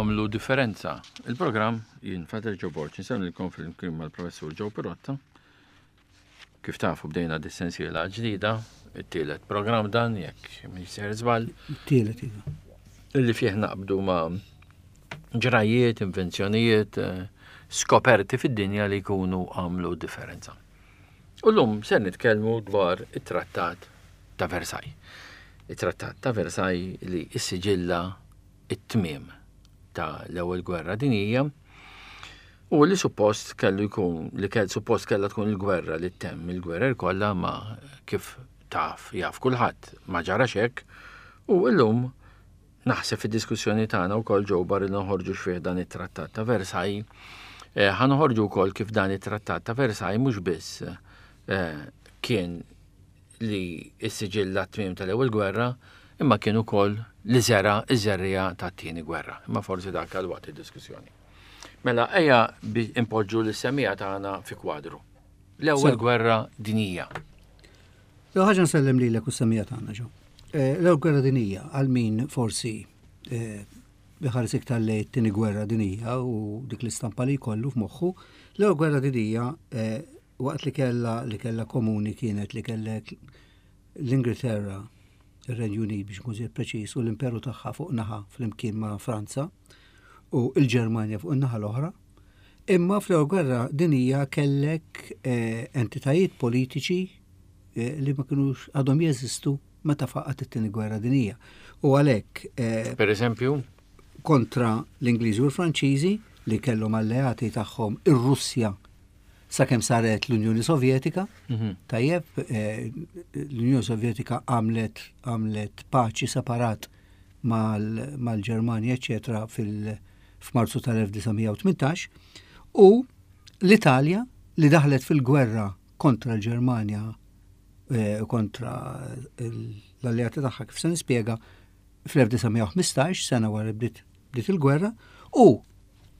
għamlu differenza. Il-programm jien Father Joe Borg insellmilkom flimkien mal-Professur Joe Pirotta. Kif tafu bdejna dis-sensiela ġdida, it-tielet programm dan jekk mhix ser żball. It-tielet iva. Illi fih naqbdu ma' ġrajiet, invenzjonijiet, eh, skoperti fid-dinja li jkunu għamlu differenza. U llum ser nitkellmu dwar it-Trattat ta' Versailles. It-Trattat ta' Versailles li issiġilla it-tmiem ta' l-Ewwel Gwerra Dinjija u li suppost kellu jkun li kell suppost kellha tkun il-gwerra li ttemm il-gwerer kollha ma kif taf jaf kulħadd ma ġarax hekk u llum Naħseb fid-diskussjoni tagħna wkoll Joe barra li noħorġu x'fih dan it-Trattat ta' Versailles, eh, ħa noħorġu wkoll kif dan it-Trattat ta' Versailles mhux biss eh, kien li s-siġilla t-tmiem tal-ewwel gwerra, imma kien ukoll li żera iż-żerriegħa tat-tieni gwerra. Imma forsi dak għal waqt id-diskussjoni. Mela ejja impoġġu l-semija tagħna fi kwadru. L-ewwel gwerra dinjija. L-ewwel ħaġa nsellem lilek u s-semija tagħna ġo. Eh, l-ewwel gwerra dinija għal min forsi eh, iħares iktar lejn it-tieni gwerra dinija u dik l-istampa li jkollu f'moħħu, l-ewwel gwerra dinija eh, waqt li kellha li kellha komuni kienet li kellek l-Ingilterra, ir-Renju Unit biex nkun preċiż u l-imperu tagħha fuq naħa flimkien ma' Franza u l-Ġermanja fuq in-naħa l-oħra. Imma fl-Ewwel Gwerra Dinjija kellek eh, entitajiet politiċi eh, li ma kinux għadhom jeżistu meta faqat it-Tieni Gwerra Dinjija. U għalhekk. Eh, per eżempju? Kontra l-Ingliżi u l-Franċiżi li kellhom alleati tagħhom ir-Russja sakemm saret l-Unjoni Sovjetika. Mhm. Tajjeb, l-Unjoni Sovjetika għamlet għamlet paċi separat mal-Ġermanja, eċetera, fil- f'Marzu tal-1918 u l-Italja li daħlet fil-gwerra kontra l-Ġermanja eh, kontra l-alleati tagħha kif se nispjega fl-1915 sena wara bdiet bdiet il-gwerra u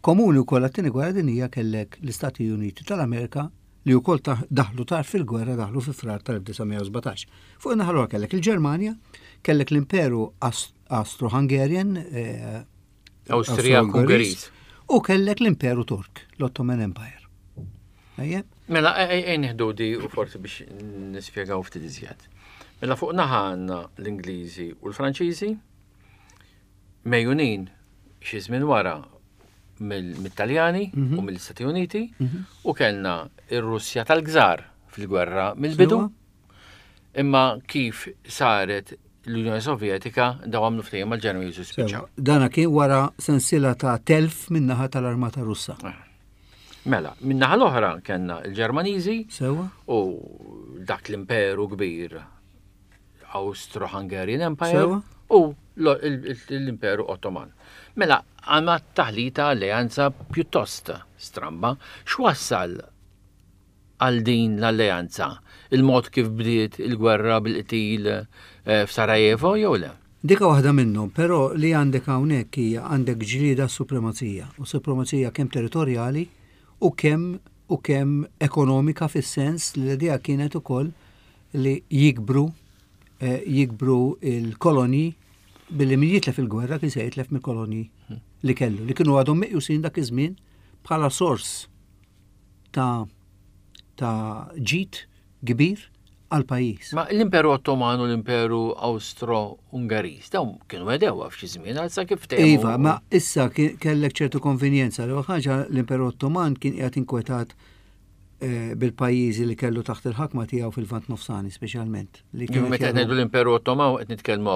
komuni wkoll għat-tieni gwerra dinjija kellek l-Istati Uniti tal-Amerika li wkoll daħlu tard fil-gwerra daħlu fi frar tal-1917. Fuq in-naħa kellek il-Ġermanja, kellek l-Imperu Austro-Hungarian eh, Awstrijak Ungeriż. U kellek l-Imperu Tork, l-Ottoman Empire. Ejjeb? Mela, ej nieħdu di u forsi biex nispjegaw ftit iżjed. Mela fuq naħa għandna l-Ingliżi u l-Franċiżi, mejjunin xi żmien wara mit-Taljani mhm. u mill-Istati Uniti mhm. u kellna ir-Russja tal-Gżar fil-gwerra mill-bidu. Imma kif saret l-Unjoni Sovjetika daw għamlu ftehim mal-Ġermaniż u spiċċaw. Dana kien wara sensiela ta' telf min-naħa tal-Armata Russa. Ah. Mela, min-naħa l-oħra kellna l-Ġermaniżi u dak l-imperu kbir Austro-Hungarian Empire u l-Imperu Ottoman. Mela, għandna taħlita alleanza pjuttost stramba. X'wassal għal din l-alleanza? Il-mod kif bdiet il-gwerra bil-qtil eh, f'Sarajevo jew le? Dika waħda minnhom, però li għandek hawnhekk hija għandek ġlieda supremazija, u supremazija kemm territorjali u kemm u kemm ekonomika fis-sens li l-idea kienet ukoll li jikbru eh, jikbru il-kolonji billi min jitlef il-gwerra kien se jitlef mill-kolonji li kellu, li kienu għadhom meqjusin dak iż-żmien bħala sors ta' ta' ġid kbir għal pajjiż. Ma l-Imperu Ottoman u l-Imperu Austro-Ungeriż dawn kienu għedewa f'xi żmien għal sa kif ftehmu. Iva, ma issa kellek ċertu konvenjenza. L-ewwel ħaġa l-Imperu Ottoman kien qiegħed inkwetat Eh, bil-pajjiżi li kellu taħt il-ħakma tiegħu fil-Vant Nofsani speċjalment. Li kienu meta ngħidu l-Imperu Ottoman qed nitkellmu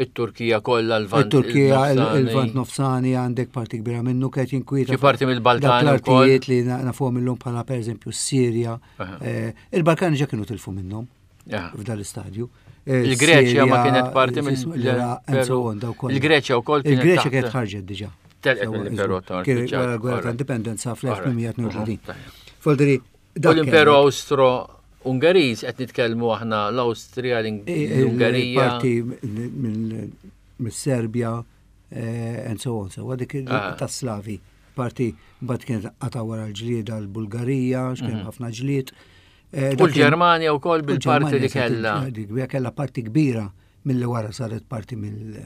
it-Turkija kollha l-Vant. It-Turkija il-Vant Nofsani għandek parti kbira minnu kienet jinkwieta. Xi parti mill-Balkani l-artijiet li nafuhom illum bħala pereżempju s-Sirja. Eh, Il-Balkani ġa kienu tilfu minnhom f'dan l-istadju. Eh, Il-Greċja ma kienet parti minn Il-Greċja wkoll kienet. Il-Greċja kienet ħarġet diġà. Telqet mill-Imperu Ottoman. Kien wara l-gwerra ta' indipendenza fl-1832. Foldri, U l-Imperu Austro Ungeriż qed nitkellmu aħna l-Awstrija, l-Ungerija. Parti mis-Serbja eh, and so on. So dik ah. tas-Slavi. Parti mbagħad kienet qata' wara l-ġlieda l-Bulgarija, x'kien mhm. ħafna ġlied. Eh, u l-Ġermanja wkoll bil-parti li kellha. Dik kellha parti kbira mill-li wara saret parti mill-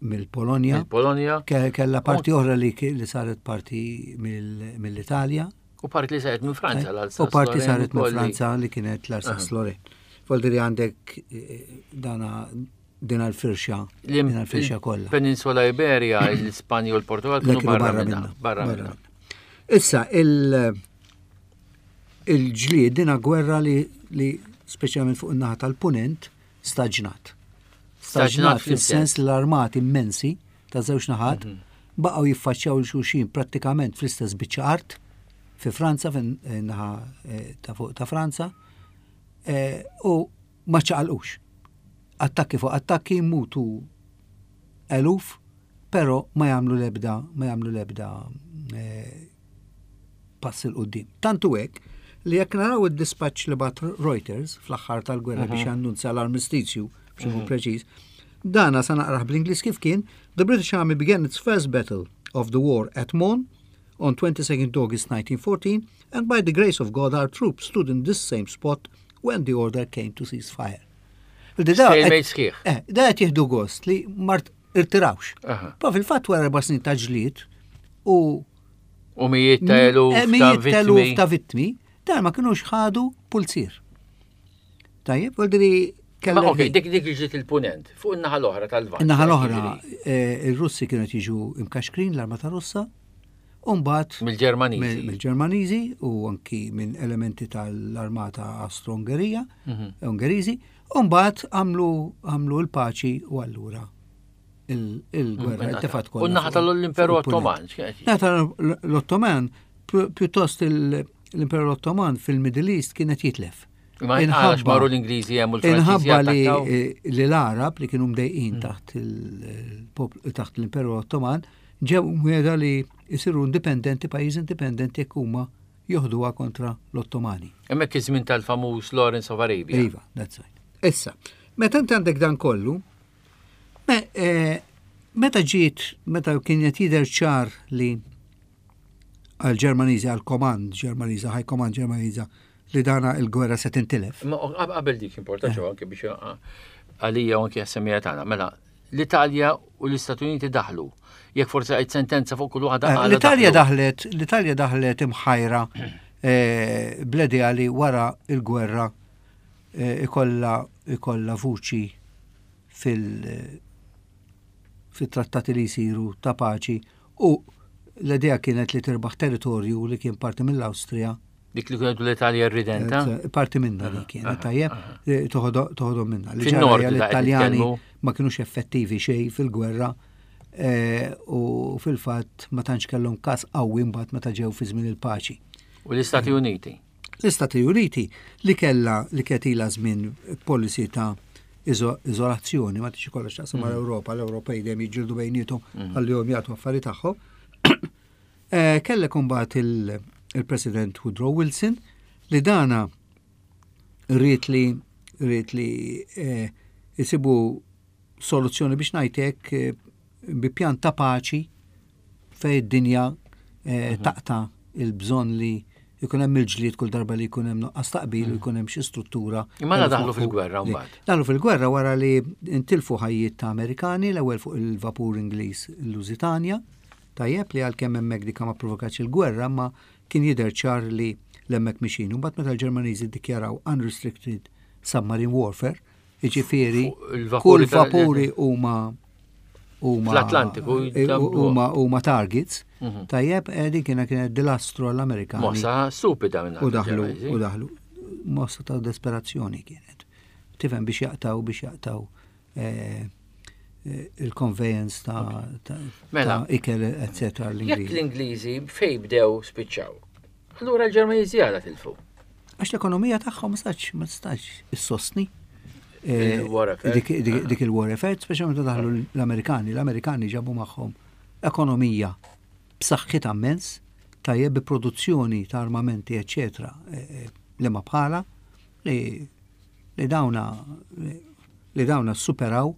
Mill-Polonja. Mill-Polonja. Kella parti oħra li, li saret parti mill-Italja. U parti li saret minn Franza eh, l-Alsace. U parti saret minn Franza li kienet l-Alsace Lorraine. Voldiri għandek eh, dana din l-firxa, din l-firxa kollha. Peninsula Iberia, l-Ispanja u l-Portugal kienu barra minna. Barra minna. Issa, il- il-ġlied dina gwerra li, li speċjalment fuq in-naħa tal-punent staġnat. Staġnat fis-sens li l-armati immensi ta' żewġ naħat mhm. baqgħu jiffaċċjaw l xulxin prattikament fl-istess biċċa art fi Franza, fin-naħa eh, ta' fuq ta' Franza, eh, u ma ċaqalqux. Attakki fuq attakki mutu eluf, pero ma jagħmlu l-ebda ma jagħmlu l-ebda eh, pass 'il quddiem. Tant hu hekk li jekk naraw id-dispaċċ li bat Reuters fl-aħħar tal-gwerra biex mhm. jannunzja l-armistizju biex ikun mhm. preċiż, dana sa naqrah bl-Ingliż kif kien, The British Army began its first battle of the war at Mons on 22nd August 1914 and by the grace of God our troops stood in this same spot when the order came to cease fire. Eh, da qed jieħdu gost li mart irtirawx. Pa fil-fatt wara erba' snin ta' ġlied u U mijiet ta' eluf eh, ta' vittmi. ta' vittmi, dan ma kienux ħadu pulzir. Tajjeb, u diri kellek. Ok, dik dik ġiet il-punent, fuq in-naħa l-oħra tal-Lvant. In-naħa l-oħra, eh, ir-Russi kienu jiġu imkaxkrin l-armata Russa, u mbagħad mill-Ġermaniżi. Mill-Ġermaniżi u anki minn elementi tal-armata Austro-Ungerija, mhm. Ungeriżi, u mbagħad għamlu l-paċi u allura il-gwerra, mm, il-tefat kollha. U naħa tal-Imperu Ottoman. Naħa tal-Ottoman, pjuttost l-Imperu Ottoman fil-Middle East kienet jitlef. Ma inħabba marru l-Ingliżi hemm u l-Franċiżi. Inħabba li l-Arab li kienu mdejqin mm. taħt l-Imperu Ottoman ġew mwiegħda li jsiru indipendenti, pajjiż indipendenti jekk huma joħduha kontra l-Ottomani. Hemmhekk iż-żmien tal-famuż Lawrence of Arabia. Iva, that's right. Issa, meta inti għandek dan kollu, Eh, meta ġiet, meta kien qed jidher ċar li għal-Ġermaniżi, għal-komand Ġermaniża, high command Ġermaniża, li dana il-gwerra se tintilef. Ma qabel dik importanti eh. anke biex għalija u anke għas-semija tagħna. Mela, l-Italja u l-Istati Uniti daħlu. Jekk forsi għid sentenza fuq kull waħda. Eh, L-Italja daħlet, l-Italja daħlet imħajra bl-idea li wara il-gwerra ikolla ikolla vuċi fil fit-trattati li jsiru ta' paċi u l-idea kienet li tirbaħ territorju li kien parti mill-Awstrija. Dik li kienet l-Italja ridenta? Eh, parti minna li kienet, tajjeb, eh, toħodhom minna. Li ġara l-Italjani ma kienux effettivi xejn fil-gwerra eh, u fil-fatt ma tantx kellhom każ qawwi mbagħad meta ġew fi żmien il-paċi. U l-Istati Uniti? L-Istati Uniti li kellha li kienet ilha żmien policy ta' iżolazzjoni, ma tixi kollha x'taqsam mm. mal-Ewropa, l-Ewropej dejjem jiġġieldu bejniethom mm. ħallihom jagħtu affari tagħhom. Eh, kellek imbagħad il-President Woodrow Wilson li dana rrit li rrit li eh, jisibu soluzzjoni biex ngħidlek eh, bi pjan ta' paċi fej id-dinja eh, mhm. taqta' il-bżonn li jkun hemm il-ġlied kull darba li jkun hemm nuqqas taqbil u mhm. jkun hemm xi struttura. Imma la daħlu fil-gwerra mbagħad. Daħlu fil-gwerra wara li ntilfu ħajjiet ta' Amerikani l-ewwel fuq il-vapur Ingliż Lusitania, tajjeb li għalkemm hemmhekk dik ma provokatx il-gwerra ma kien jidher ċar li l-hemmhekk mixin. Mbagħad meta l-Ġermaniżi ddikjaraw unrestricted submarine warfare, Jiġifieri kull vapuri huma huma fl-Atlantiku eh, huma huma targets. Mhm. Tajjeb, eh, din kienet kienet dilastru għall-Amerikani. Mossa stupida minn U daħlu u daħlu. Mossa ta' desperazzjoni kienet. Tifhem biex jaqtaw biex jaqtaw eh, il-conveyance ta' mela. ikel, etc. Jekk l-Ingliżi fej bdew spiċċaw, allura l-Ġermaniżi għala tilfu. Għax l-ekonomija tagħhom ma stax ma tistax issostni. Eh, dik il-war effort, speċjalment meta daħlu l-Amerikani, l-Amerikani ġabu magħhom ekonomija b'saħħitha immens, tajjeb bi produzzjoni ta' armamenti, eċetera, eh, eh, li ma bħala, li li dawna li dawna superaw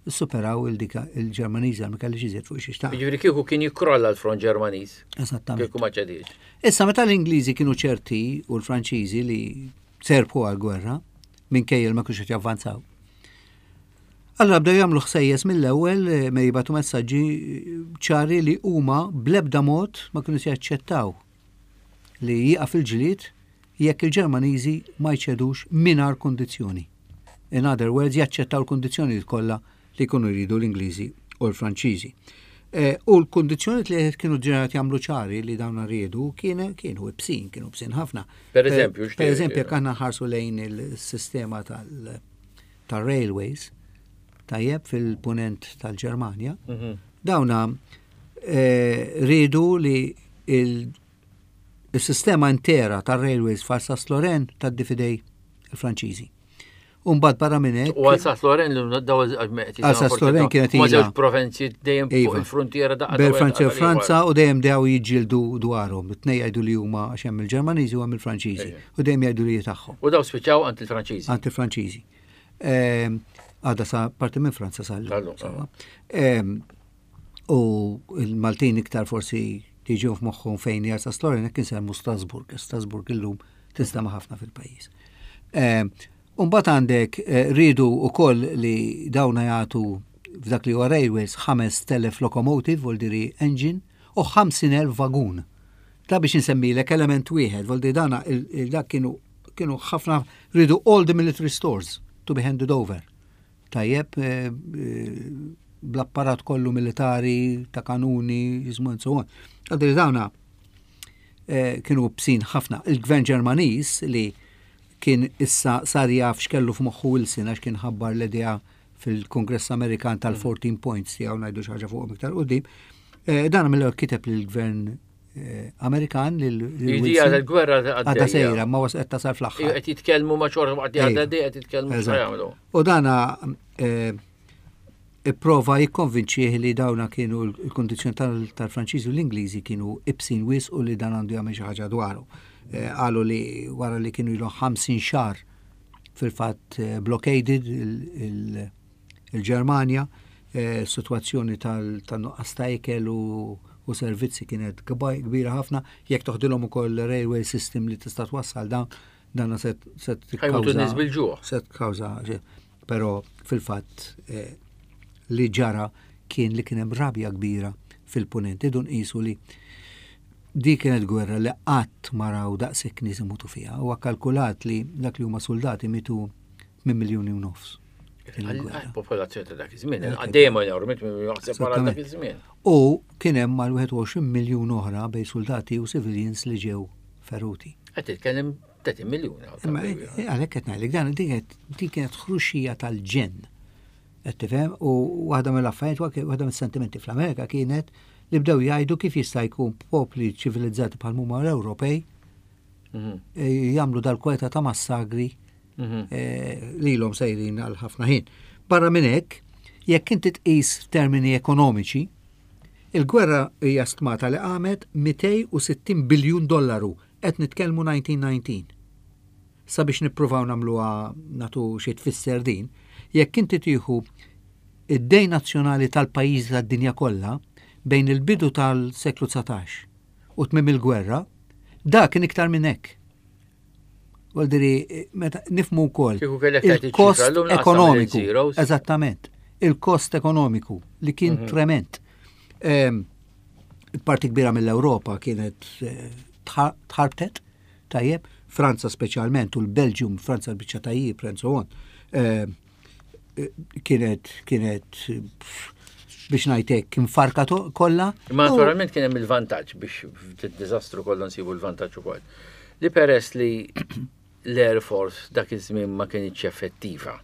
superaw il-dika il-Ġermaniża ma kellix iżjed fuq xi xtaq. Jiġifieri kieku kien jikkrolla l-front Ġermaniż. Eżattament. Kieku ma ċediex. Issa meta l-Ingliżi kienu ċerti u l-Franċiżi li serbħu għal-gwerra minkejja ma kienx qed javvanzaw. Allura bdew jagħmlu ħsejjes mill-ewwel eh, me jibgħatu messaġġi eh, ċari li huma bl-ebda mod ma kienu se jaċċettaw li jieqaf il-ġlied jekk il-Ġermaniżi ma jċedux mingħajr kundizzjoni. In other words, jaċċettaw l-kundizzjonijiet kollha li jkunu jridu l-Ingliżi u l-Franċiżi. Eh, u l-kundizzjoni li kienu ġenerat jagħmlu ċari li dawn riedu kienu ibsin, kienu ibsin ħafna. Per eżempju, per eżempju, jekk aħna ħarsu lejn il-sistema tal-railways, tajjeb fil-punent tal-Ġermanja, mhm. dawna eh, riedu li il-sistema intera tal-railways f'Alsace-Lorraine tad-difidej il-Franċiżi. U mbagħad barra minn hekk. U Alsace Lorraine li daw Alsace Lorraine kienet ilha. Ma żewġ provinzi dejjem fuq iva. il-frontiera daqqa. Bejn Franza u Franza u dejjem dew jiġġieldu dwarhom. It-tnej jgħidu li huma għax hemm il-Ġermaniżi u hemm il-Franċiżi. U dejjem jgħidu li tagħhom. U daw spiċċaw għand il-Franċiżi. Għand il-Franċiżi. Ehm, għada sa parti minn Franza sa Ehm, u il-Maltin iktar forsi tiġu f'moħħhom fejn hija Alsace Lorraine hekk insemmu Strasburg. Strasburg illum tinstema' ħafna fil-pajjiż. Ehm, Umbagħad għandek eh, rridu wkoll li dawna jagħtu f'dak li huwa railways 5,000 locomotive, voldiri engine, u 50,000 vagun. Ta' biex insemmilek element wieħed, voldiri dana dak kienu kienu ħafna rridu all the military stores to be handed over. Tajjeb, eh, eh, bl-apparat kollu militari, ta' kanuni, jismu and so on. Għadri dawna eh, kienu bsin ħafna. Il-gvern Ġermaniż li kien issa sar jaf x'kellu f'moħħu Wilson għax kien ħabbar l-idea fil-Kongress Amerikan tal-14 points tiegħu ngħidu xi ħaġa fuqhom iktar qudiem. Dan mill-ewwel kiteb lill-gvern Eh, Amerikan lil Idija tal-gwerra għadha sejra ma wasqet tasal fl-aħħar. Qed jitkellmu ma' xorta waqt li għadha qed jitkellmu x'jagħmlu. U dana eh, ipprova jikkonvinċih li dawna kienu l-kondizzjoni tal-Franċiżi u l-Ingliżi kienu ibsin wis u li dan għandu jagħmel xi ħaġa dwaru. Eh, qalu li wara li kienu ilu 50 xahar fil-fatt blockaded il- Il-Ġermanja, sitwazzjoni tan-nuqqas ta' ikel u servizzi kienet kbira ħafna, jekk toħdilhom ukoll railway system li tista' twassal dawn, dan se tikkawża. Se tkawża, però fil-fatt eh, li ġara kien li kien hemm rabja kbira fil-punent. Idu nqisu li di kienet gwerra li qatt ma raw daqshekk nies imutu fiha. Huwa kalkulat li dak li huma soldati mitu minn miljuni u nofs. Popolazzjoni ta' dak iż-żmien, dejjem enormi, jaħseb wara dak iż-żmien. U kien hemm mal-21 miljun oħra bej soldati u civilians li ġew feruti. Qed titkellem 30 miljun. Imma eh, għalhekk qed ngħidlek dan din kienet ħruxija tal-ġenn. Qed tifhem u waħda mill-affarijiet waħda mis-sentimenti fl-Amerika kienet li bdew jgħidu kif jista' jkun popli ċivilizzati bħal huma l-Ewropej mhm. eh, jagħmlu dal-kwalità ta' massagri mhm. eh, lilhom sejrin għal ħafna ħin. Barra minn hekk, jekk inti tqis f'termini ekonomiċi, il-gwerra hija stmata li qamet 260 biljun dollaru qed nitkellmu 1919. Sabiex nippruvaw nagħmluha nagħtu xi tfisser din, jekk inti tieħu id-dejn nazzjonali tal-pajjiżi tad-dinja kollha bejn il-bidu tal-seklu 19 u tmiem il-gwerra, dak kien iktar minn hekk. Għaldiri, meta nifmu wkoll il-kost ekonomiku. Eżattament. Il-kost ekonomiku li kien mhm. trement. Ehm, parti kbira mill-Ewropa kienet eh, tħarbtet, tajjeb, Franza speċjalment u l-Belġium, Franza l-biċċa tajjeb, and so on. Ehm, kienet kienet biex ngħidlek kien farka kollha. Ma naturalment kien hemm il-vantaġġ biex fid-diżastru kollha nsibu l-vantaġġ ukoll. Li peress li l-Air Force dak iż-żmien ma kienx effettiva.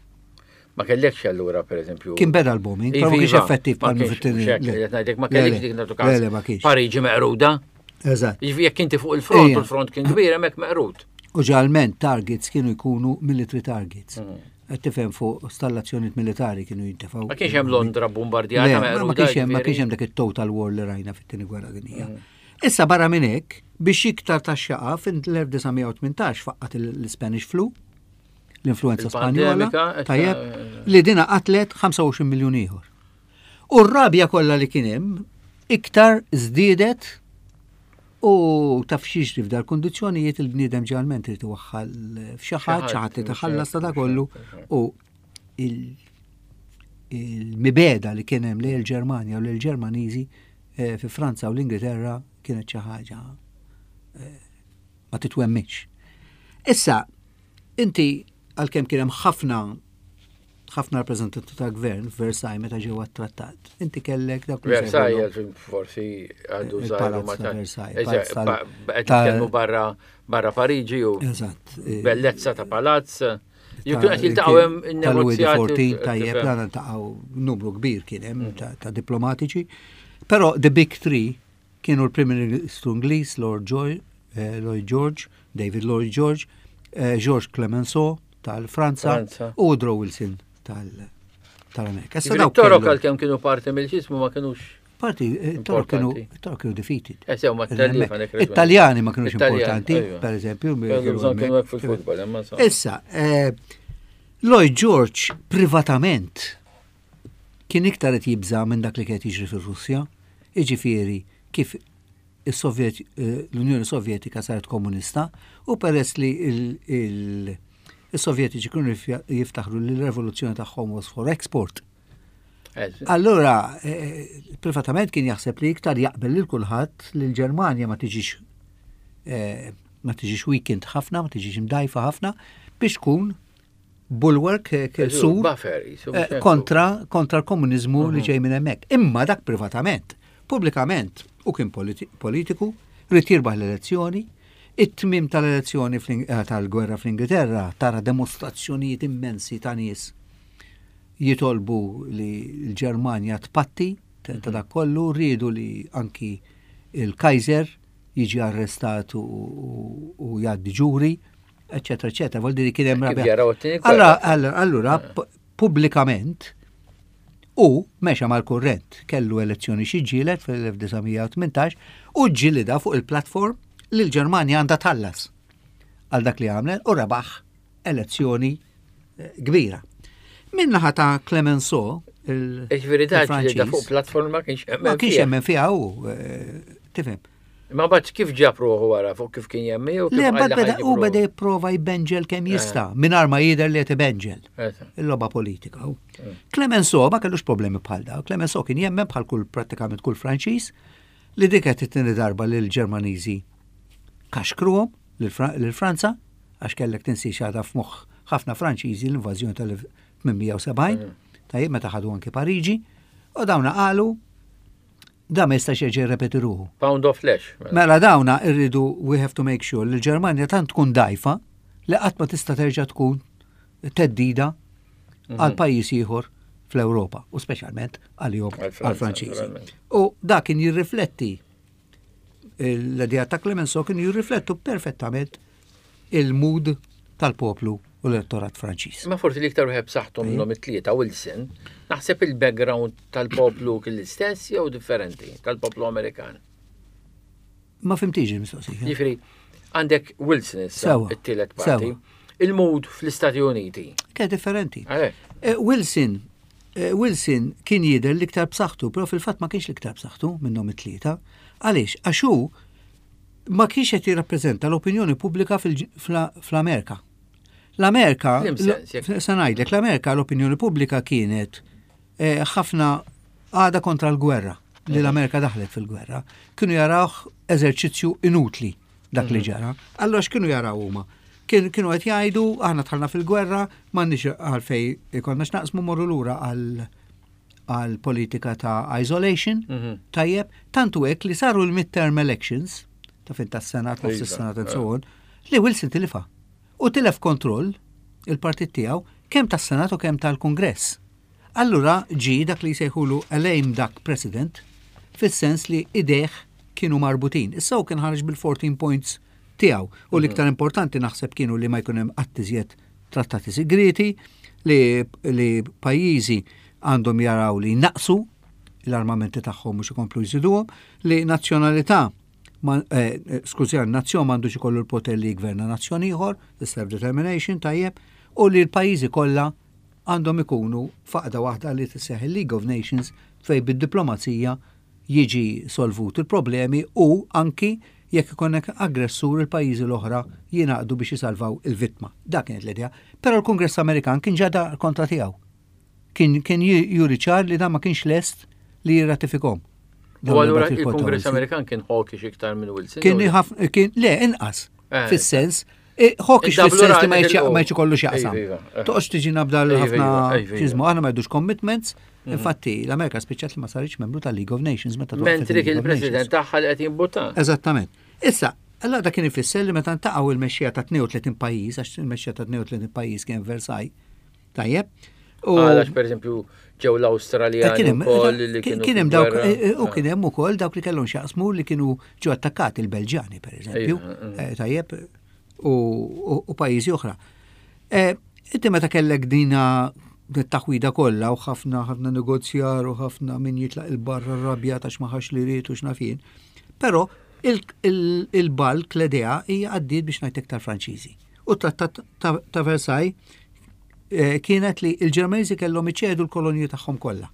Ma kellekx allura pereżempju. Kien beda l-bombing, però ma kienx iva, effettiv bħal fit-tieni. Ngħidlek ma kellekx dik nagħtu każ. Pariġi meqruda. Eżatt. Jiġifieri jekk inti fuq il-front, u l-front kien kbir hemmhekk meqrud. U ġalment targets kienu jkunu military targets. Mm. Qed tifhem fuq stallazzjonijiet militari kienu jintefgħu. Ma kienx hemm Londra bombardjata Ma kienx hemm ma kienx hemm dak it-total war li rajna fit-tieni gwerra dinjija. Mm. Issa barra minn hekk, biex iktar ta' xaqa fin-1918 faqqat l-Spanish flu, l-influenza Spanjola, tajjeb, li dina qatlet 25 miljun ieħor. U r-rabja kollha li kien hemm iktar żdiedet u taf x'jiġri f'dal kundizzjonijiet il-bniedem ġeneralment irid iwaħħal f'xi ħadd, xi ħadd irid iħallas ta' kollu u. il-mibegħda li kien hemm lejn il-Ġermanja u lil Ġermaniżi eh, fi Franza u l-Ingilterra kienet xi ħaġa eh, ma titwemminx. Issa, inti għalkemm kien hemm ħafna ħafna rappreżentanti ta' gvern f'Versailles meta ġew għat-trattat. Inti kellek dak Versailles forsi għadu żgħir ma ta' Versailles. Qed nitkellmu barra barra Pariġi u Eżatt. Bellezza ta' palazz. Jekk qed jiltaqgħu hemm in-negozjati. Tajjeb, dan iltaqgħu numru kbir kien hemm mm. ta' diplomatiċi. Però the big three kienu l-Prim Ministru Ingliż Lord Joy, eh, Lloyd George, David Lloyd George, eh, Georges Clemenceau tal-Franza u Woodrow Wilson tal-Amerika. Issa dawk Torok għalkemm kienu parti mill-ġismu ma kienux Parti, eh, Torok kienu Torok kienu defeated. Eh, sew ma Italjani ma kienux importanti, per eżempju. Issa, Lloyd George privatament kien iktar qed jibża' minn dak li kien qed jiġri fir-Russja, jiġifieri kif is-Sovjet l-Unjoni Sovjetika saret komunista u peress li il-Sovjetiċi kienu jiftaħru li l-revoluzzjoni tagħhom was for export. Allura, eh, privatament kien jaħseb li iktar jaqbel lil kulħadd li l-Ġermanja ma tiġix eh, ma tiġix weekend ħafna, ma tiġix imdajfa ħafna biex tkun bulwark eh, sur eh, kontra kontra l-komuniżmu li mhm. ġej minn hemmhekk. Imma dak privatament, pubblikament u kien politiku, rrid jirbaħ l-elezzjoni, it-tmim tal-elezzjoni eh, tal-gwerra fl-Ingilterra tara demostrazzjonijiet immensi ta' nies jitolbu li l-Ġermanja tpatti ta' mhm. dak kollu, rridu li anki il-Kaiser jiġi arrestat u jgħaddi ġuri eccetera, eccetera. Vuol dire kien hemm rabja. Allora, allora eh. pubblikament u mexa mal-kurrent kellu elezzjoni xi ġielet fil-1918 u ġilida fuq il-platform li l-Ġermanja għandha tħallas għal dak li għamlet u rebaħ elezzjoni eh, kbira. Minnaħa ta' Clemenceau, il-Ġifieri da fuq platform ma kienx hemm. Ma kienx hemm fiha u eh, tifhem. Ma bat kif ġab ruħu wara fuq kif kien jemmi u Le, bad beda u beda jipprova jbenġel kemm eh. jista' mingħajr ma jidher li qed ibenġel. Il-logħba politika. Eh. Clemenceau ma kellux problemi bħal daw. Clemenceau kien jemmen bħal kull prattikament kull Franċiż li dik qed it-tieni darba lil Ġermaniżi kaxkruhom lil Franza għax kellek tinsiex għadha f'moħħ ħafna Franċiżi l-invażjoni tal-1870, mm. tajjeb meta ħadu anki Pariġi, u dawna qalu Da ma jistax jerġa' jirrepeti ruħu. Pound of flesh. Mela, mela dawna irridu we have to make sure li l-Ġermanja tant tkun dajfa li qatt ma tista' terġa' tkun teddida mhm. għal pajjiż ieħor fl-Ewropa u speċjalment għalihom għal-Franċiżi. U dak kien jirrifletti l-idea ta' Clemenceau kienu jirriflettu perfettament il-mood tal-poplu u l-elettorat Franċiż. Ma forsi l-iktar wieħed b'saħħtu minnhom it-tlieta Wilson, naħseb il-background tal-poplu kien l-istess jew differenti tal-poplu Amerikan. Ma fimtix il-mistoqsija. Jiġifieri, għandek Wilson issa, it-tielet parti. Il-mood fl-Istati Uniti. Kien differenti. Eh, Wilson eh, Wilson kien jidher l-iktar b'saħħtu, però fil-fatt ma kienx l-iktar b'saħħtu minnhom it-tlieta. Għaliex? Għax hu ma kienx qed jirrappreżenta l-opinjoni pubblika fl-Amerika. L-Amerika, se ngħidlek, l-Amerika l-opinjoni pubblika kienet eh, ħafna għada kontra l-gwerra, li l-Amerika daħlet fil-gwerra. Kienu jarawh eżerċizzju inutli dak li mhm. ġara. Allora x'kienu jaraw huma? Kienu qed jgħidu aħna dħalna fil-gwerra, m'għandniex għalfej ikollna x'naqsmu morru lura għal għal politika ta' isolation, mhm. tajjeb, tantu hekk li saru l-midterm elections, ta' fin tas-Senat, nofs iva, is-Senat and so eh. on, li Wilson tilifa. U tilef kontroll il-partit tiegħu kemm tas-Senat u kemm tal-Kungress. Allura ġi dak li jsejħulu a lame duck president, fis-sens li idejh kienu marbutin. Issa hu kien ħareġ bil-14 points tiegħu u l-iktar mhm. importanti naħseb kienu li ma jkun hemm qatt iżjed trattati sigrieti li, li pajjiżi għandhom jaraw li naqsu l-armamenti tagħhom mhux ikomplu jżiduhom, li nazzjonalità ma, eh, eh skużi, nazzjon m'għandux ikollu l-poter li jgverna nazzjon ieħor, self-determination tajjeb, u li l-pajjiżi kollha għandhom ikunu f'għaqda waħda li tisseħ il-League of Nations fej bid-diplomazija jiġi solvut il-problemi u anki jekk ikollek aggressur il-pajjiżi l-oħra jingħaqdu biex jisalvaw il-vittma. Dak kienet l-idea. Però l-Kungress Amerikan kien ġada kontra tiegħu. Kien kien juri ċar li dan ma kienx lest li jirratifikhom. U allura il-Kongress Amerikan kien hawkish iktar minn Wilson? Kien kien le inqas. Eh. Fis-sens eh, hawkish fis-sens li ma jċi kollu x'jaqsam. Iva, iva. Toqgħodx tiġi nabda ħafna iva, ġiżmu, aħna ma jdux commitments. Mhm. Infatti, l-Amerika spiċċat li ma saritx membru tal-League of Nations meta Mentri kien il-President tagħha li qed jimbutta. Eżattament. Issa, allora dak kien ifisser li meta ntaqgħu il-mexxija ta' 32 pajjiż, għax il-mexxija ta' 32 pajjiż kien Versailles, Tajjeb. U għalax per eżempju ġew l-Awstraljani eh, ukoll li kienu. Kien hemm dawk eh, eh, u kien hemm ukoll dawk li kellhom x'jaqsmu li kienu ġew attakkati il-Belġjani per eżempju. Tajjeb u pajjiżi oħra. Inti meta kellek dina taħwida kollha u ħafna ħafna negozjar u ħafna min jitlaq il-barra rabja ta' x'maħax li ried u x'nafin. Però il-balk l-idea hija għaddiet biex ngħid iktar Franċiżi. U trattat ta' Versailles eh, kienet li il-Ġermaniżi kellhom iċedu l-kolonji tagħhom kollha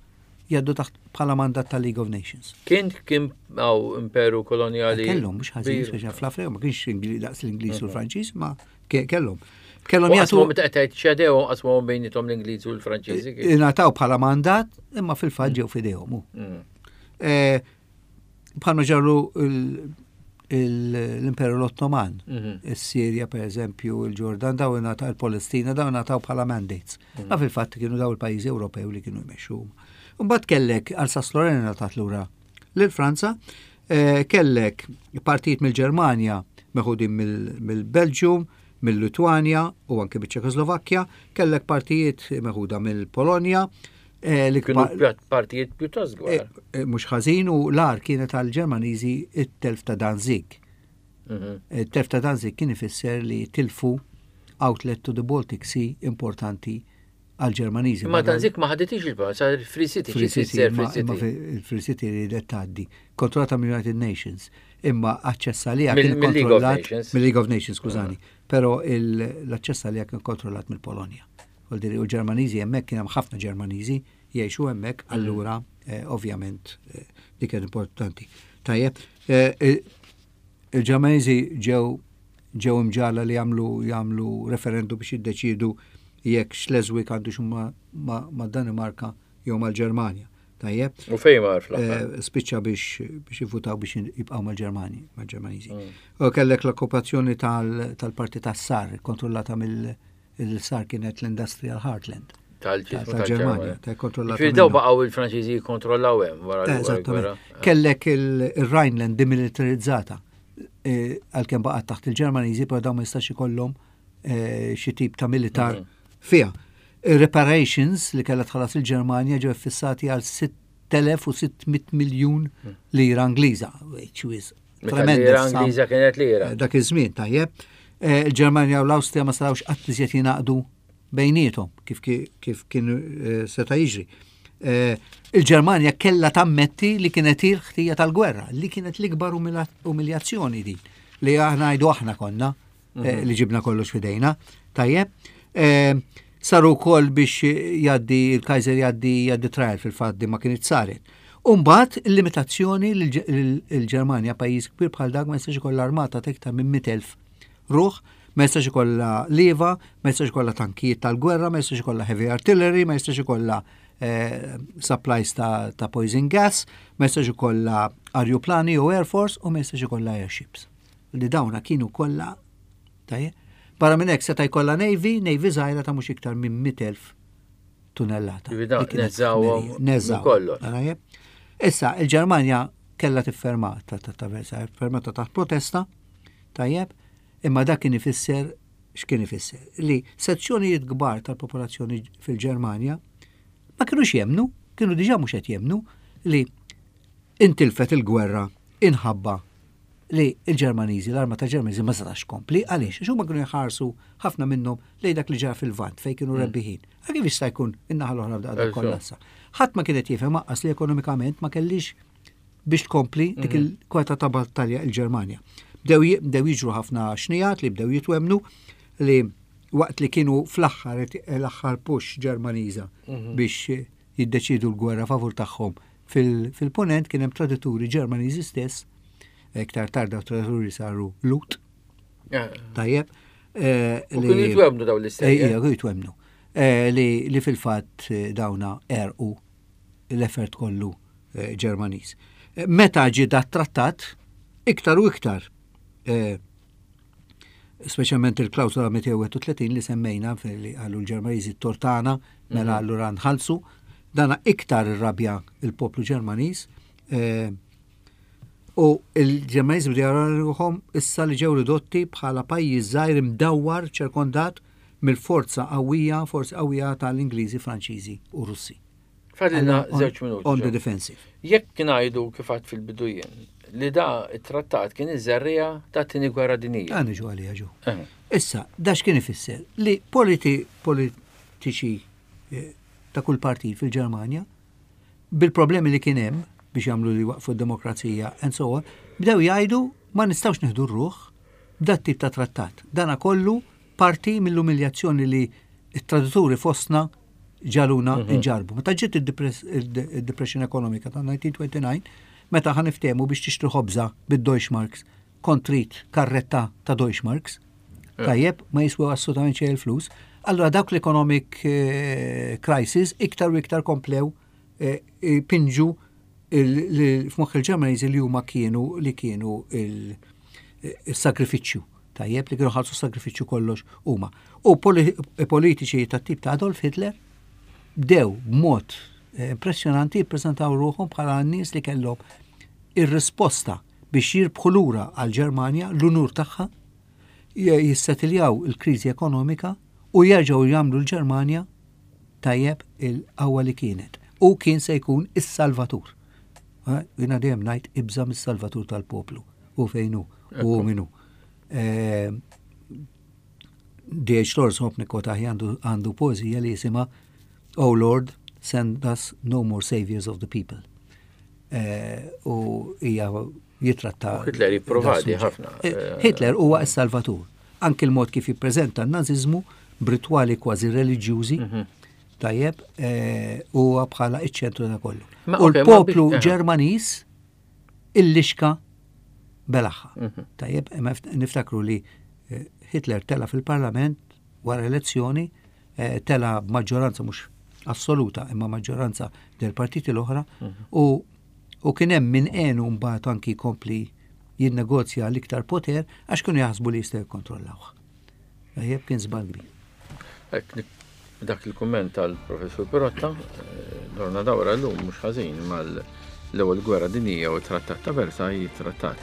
jaddu taħt bħala mandat tal-League of Nations. Kien kien għaw imperu kolonjali. Eh, kellhom mhux ħażin, speċa fl-Afrika ma kienx daqs l-Ingliż u mhm. l-Franċiż, ma kellhom. Kellhom jagħtu. Meta qed ċedew qasmu bejnietom l-Ingliż u l-Franċiżi. Eh, ingħataw bħala mandat, imma fil-fatt ġew f'idejhom. Mm. Bħalma ġarru l-Imperu l-Ottoman, mhm. is-Sirja per eżempju, il-Ġordan, daw ingħataw il-Palestina, daw ingħataw bħala mandates. Mhm. Ma fil-fatt kienu daw il-pajjiżi Ewropew li kienu jmexxu. Mbagħad kellek Alsace Lorraine ngħatat lura lil Franza, eh, kellek partijiet mill-Ġermanja meħudin mill-Belġium, mill-Litwanja u anke biċ-Ċekoslovakkja, kellek partijiet meħuda mill-Polonja, Eh, li kienu partijiet pjuttost kbar. Eh, eh, mhux ħażin u l-ar kienet għal Ġermaniżi it-telf ta' Danzig. Mhm. It-telf ta' Danzig kien ifisser li tilfu outlet to the Baltic Sea importanti għal Ġermaniżi. Ma Danzig ma ħaditix il-pa, sa Free City. Free City, ma Free City li tgħaddi. Kontrollata mill-United Nations, imma aċċess għaliha kien kontrollat mill-League of Nations, skużani, mhm. però l-aċċess għaliha kien kontrollat mill-Polonja. Vuol dire u l-Ġermaniżi hemmhekk kien hemm ħafna Ġermaniżi jgħixu hemmhekk, mm. allura eh, ovvjament eh, dik kienet importanti. Tajjeb, eh, il-Ġermaniżi ġew ġew imġala li jagħmlu jagħmlu referendum biex jiddeċiedu jekk Schleswig għandu ma, ma, ma Danimarka jew mal-Ġermanja. Tajjeb. U fejn mar fl-aħħar? Eh, spiċċa biex biex jivvutaw biex jibqgħu mal-Ġermani, mal-Ġermaniżi. Mm. U kellek l-okkupazzjoni tal-parti tas-Sar, kontrollata mill- Il-sar kienet l-Industrial Heartland. Tal-Ġermanja, ta' kontrollat. Ġifieri daw baqgħu il-Franċiżi jikkontrollaw hemm wara l-gwerra. Kellek il-Rhineland demilitarizzata eh, għalkemm baqgħet taħt il-Ġermaniżi, però dawn ma jistax ikollhom eh, xi tip ta' militar mhm. fiha. Reparations li kellha tħallas il-Ġermanja ġew fissati għal 6600 miljun mhm. lira Ingliża, which is Tremenda. Lira Ingliża kienet lira. Eh, dak iż-żmien tajjeb. Eh, Il-Ġermanja u l-Awstrija ma setgħux qatt iżjed jingħaqdu bejniethom kif kif kien eh, seta' jiġri. Il-Ġermanja kellha tammetti li kienet il-ħtija tal-gwerra, li kienet l-ikbar umiljazzjoni din li aħna ngħidu aħna konna mhm. li ġibna kollox fidejna. Tajjeb. Saru wkoll biex jgħaddi il-Kaiser jgħaddi jgħaddi trial fil-fatt di ma kienet saret. Umbagħad il-limitazzjoni li l-Ġermanja pajjiż kbir bħal dak ma jistax ikollha armata ta' iktar minn 100,000 ruħ, ma jistax ikollha lieva, ma jistax ikollha tankijiet tal-gwerra, ma jistax ikollha heavy artillery, ma jistax ikollha eh, supplies ta', ta poison gas, ma jistax ikollha arjuplani u air force u ma jistax ikollha airships. Li dawna kienu kollha tajjeb. Barra minn hekk seta' jkollha navy, navy żgħira ta' mhux iktar minn 100,000 tunellata. Neżawhom kollox. Issa, il-Ġermanja kellha tifferma ta' ta' Versailles, fermata taħt protesta, tajjeb, imma dak kien ifisser x'kien ifisser? Li sezzjonijiet kbar tal-popolazzjoni fil-Ġermanja ma kinux jemnu, kienu diġà mhux qed jemnu li intilfet il-gwerra inħabba li l-Ġermaniżi, l-armata Ġermaniżi ma setax tkompli, għaliex? Għax huma kienu jħarsu ħafna minnhom lejn dak li ġara fil-Lvant fejn kienu mm. rebbiħin. Għal kif jista' jkun in-naħa l-oħra f'daqqa kollassa. Ħadd ma kienet jifhem aqqas li ekonomikament ma kellix biex tkompli dik mm. il-kweta ta' battalja il-Ġermanja. Bdew jiġru ħafna xnijat li bdew jitwemnu li waqt li kienu fl-aħħar l-aħħar push Ġermaniża mhm. biex jiddeċidu l-gwerra favur tagħhom Fil-Punent kien hemm tradituri Ġermaniżi stess, iktar tard daw tradituri saru Lut. Eh. Tajjeb. Eh, u kienu jitwemnu daw l-istess. Ejja, kienu jitwemnu. Eh, li, li fil-fatt eh, dawna erqu l-effort kollu eh, Ġermaniż. Meta ġie dat trattat, iktar u iktar, speċjalment il-klawsola 231 li semmejna li għallu l-Ġermaniżi tortana, mela mhm. allura nħallsu, dana iktar irrabja il-poplu Ġermaniż. U l-Ġermaniżi bdew jaraw ruħhom issa li ġew ridotti bħala pajjiż żgħir imdawwar ċirkondat mill-forza qawwija, forzi qawwija tal-Ingliżi, Franċiżi u Russi. Fadilna żewġ minuti. On the defensive. Jekk ngħidu kif għad fil-bidu jien li da it-trattat kien iż-żerriegħa tat-tieni gwerra dinjija. Dan niġu għaliha ġu. Issa, da x'kien ifisser? Li politi politiċi eh, ta' kull partit fil-Ġermanja bil-problemi li kien hemm biex jagħmlu li waqfu d-demokrazija and so on, bdew jgħidu ma nistgħux nieħdu r-ruħ b'dat tip ta' trattat. Dana kollu parti mill-umiljazzjoni li t-tradituri fostna ġaluna mhm. nġarbu. Meta ġiet id-depression ekonomika ta' 1929, meta ħa niftehmu biex tixtri ħobża bid-Deutschmarks, kont trid karretta ta' Deutschmarks, eh. tajjeb, ma jiswew assolutament xejn il-flus, allura dawk l-economic eh, crisis iktar u iktar komplew eh, pinġu f'moħħ il-Ġermaniżi li huma kienu li kienu il-sagrifiċċju. Tajjeb li kienu ħalsu sagrifiċċju kollox huma. U politiċi tat-tip ta' Adolf Hitler bdew b'mod eh, impressjonanti jippreżentaw ruħhom bħala nies li kellhom ir-risposta biex jirbħu lura għal-Ġermanja l-unur tagħha, jissetiljaw il-kriżi ekonomika u jerġgħu jagħmlu l-Ġermanja tajjeb il-qawwa li kienet. U kien se jkun is-salvatur. Eh, jiena dejjem ngħid ibża mis-salvatur tal-poplu. U fejn hu, u min hu. Eh, D.H. Lawrence Hopnik Kotahi għandu poezija li jisimha Oh Lord, send us no more saviors of the people. Eh, u hija jitratta. Hitler jipprovadi ħafna. Eh, Hitler huwa s-salvatur. Anki l-mod kif jippreżenta n-naziżmu b'ritwali kważi reliġjużi, mhm. tajjeb, eh, huwa bħala iċ-ċentru ta' kollu. U l-poplu Ġermaniż illixka belaħħa. Mhm. Tajjeb, niftakru li eh, Hitler tela fil-parlament wara elezzjoni, tela b'maġġoranza mhux assoluta imma maġġoranza del partiti l-oħra mhm. u U kien hemm min għenu mbagħad anki jkompli jinnegozja għal iktar poter għax kienu jaħsbu li jistgħu jikkontrollawh. Tajjeb kien żball kbir. Hekk dak il-kumment tal-Professur Pirotta, eh, dorna dawra llum mhux ħażin mal-ewwel gwerra dinjija u trattat ta' Versailles, trattat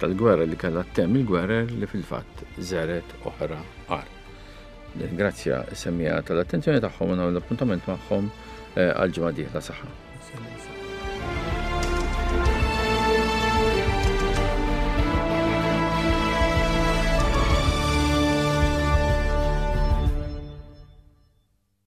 tal-gwerra li kellha temm il-gwerer li fil-fatt żeret oħra qar. Nirringrazzja s-semmiegħa tal-attenzjoni tagħhom u nagħmel appuntament magħhom eh, għal ġimgħa dieħla saħħa.